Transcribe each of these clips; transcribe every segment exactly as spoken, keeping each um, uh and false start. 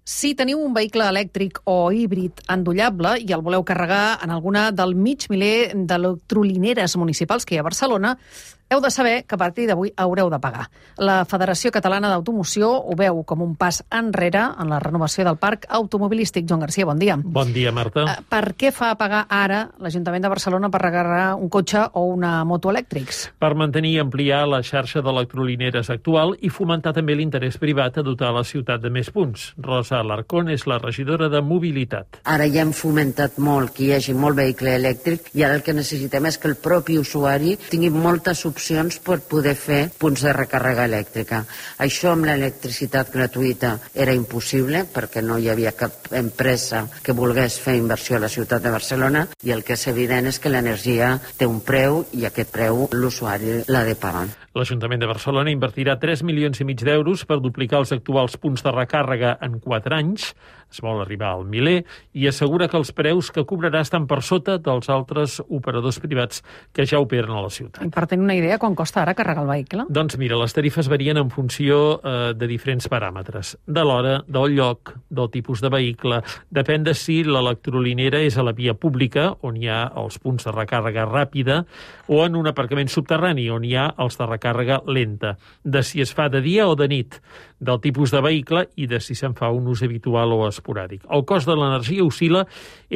Si teniu un vehicle elèctric o híbrid endollable i el voleu carregar en alguna del mig miler d'electrolineres municipals que hi ha a Barcelona, heu de saber que a partir d'avui haureu de pagar. La Federació Catalana d'Automoció ho veu com un pas enrere en la renovació del parc automobilístic. Joan Garcia, bon dia. Bon dia, Marta. Per què fa pagar ara l'Ajuntament de Barcelona per recarregar un cotxe o una moto elèctrics? Per mantenir i ampliar la xarxa d'electrolineres actual i fomentar també l'interès privat a dotar la ciutat de més punts. Rosa Alarcón és la regidora de Mobilitat. Ara ja hem fomentat molt que hi hagi molt vehicle elèctric i ara el que necessitem és que el propi usuari tingui moltes opcions per poder fer punts de recàrrega elèctrica. Això amb l'electricitat gratuïta era impossible perquè no hi havia cap empresa que volgués fer inversió a la ciutat de Barcelona i el que és evident és que l'energia té un preu i aquest preu l'usuari l'ha de pagar. L'Ajuntament de Barcelona invertirà tres milions i mig d'euros per duplicar els actuals punts de recàrrega en quatre anys. Es vol arribar al miler i assegura que els preus que cobrarà estan per sota dels altres operadors privats que ja operen a la ciutat. I per tenir una idea, quan costa ara carregar el vehicle? Doncs mira, les tarifes varien en funció eh, de diferents paràmetres. De l'hora, del lloc, del tipus de vehicle. Depèn de si l'electrolinera és a la via pública, on hi ha els punts de recàrrega ràpida, o en un aparcament subterrani, on hi ha els de recàrrega lenta. De si es fa de dia o de nit, del tipus de vehicle i de si se'n fa un ús habitual o esporàdic. El cost de l'energia oscil·la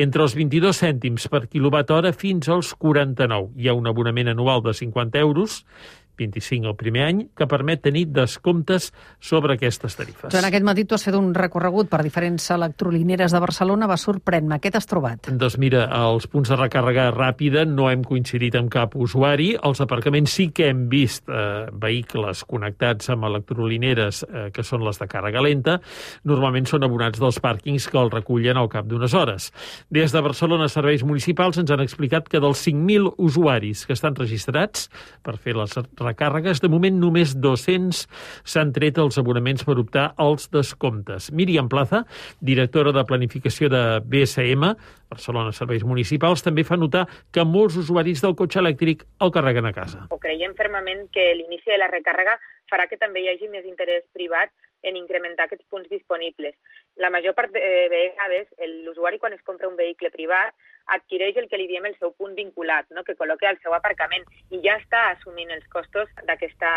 entre els vint-i-dos cèntims per quilowatt hora fins als quaranta-nou. Hi ha un abonament anual de cinquanta euros, vint-i-cinc el primer any, que permet tenir descomptes sobre aquestes tarifes. Joan, aquest matí tu has fet un recorregut per diferents electrolineres de Barcelona. Va sorprendre-me. Què t'has trobat? Doncs mira, als punts de recàrrega ràpida no hem coincidit amb cap usuari. Als aparcaments sí que hem vist eh, vehicles connectats amb electrolineres eh, que són les de càrrega lenta. Normalment són abonats dels pàrquings que el recullen al cap d'unes hores. Des de Barcelona Serveis Municipals ens han explicat que dels cinc mil usuaris que estan registrats per fer les recàrregues, de moment només dos-cents s'han tret els abonaments per optar als descomptes. Míriam Plaza, directora de Planificació de B S M, Barcelona Serveis Municipals, també fa notar que molts usuaris del cotxe elèctric el carreguen a casa. Creiem fermament que l'inici de la recàrrega farà que també hi hagi més interès privat en incrementar aquests punts disponibles. La major part de vegades, l'usuari quan es compra un vehicle privat adquireix el que li diem el seu punt vinculat, no? Que col·loca al seu aparcament i ja està assumint els costos d'aquesta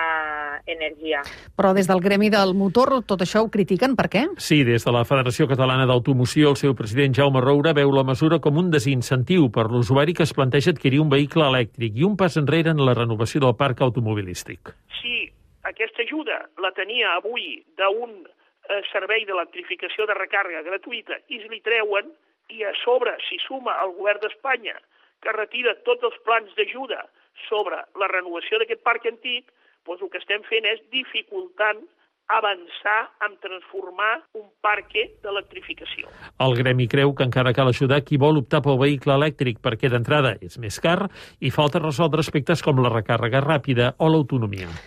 energia. Però des del gremi del motor tot això ho critiquen, per què? Sí, des de la Federació Catalana d'Automoció, el seu president Jaume Roura veu la mesura com un desincentiu per l'usuari que es planteja adquirir un vehicle elèctric i un pas enrere en la renovació del parc automobilístic. Sí, aquesta ajuda la tenia avui d'un eh, servei d'electrificació de recàrrega gratuïta i es li treuen i a sobre s'hi suma el govern d'Espanya que retira tots els plans d'ajuda sobre la renovació d'aquest parc antic, doncs el que estem fent és dificultant avançar en transformar un parc d'electrificació. El gremi creu que encara cal ajudar qui vol optar pel vehicle elèctric perquè d'entrada és més car i falta resoldre aspectes com la recàrrega ràpida o l'autonomia.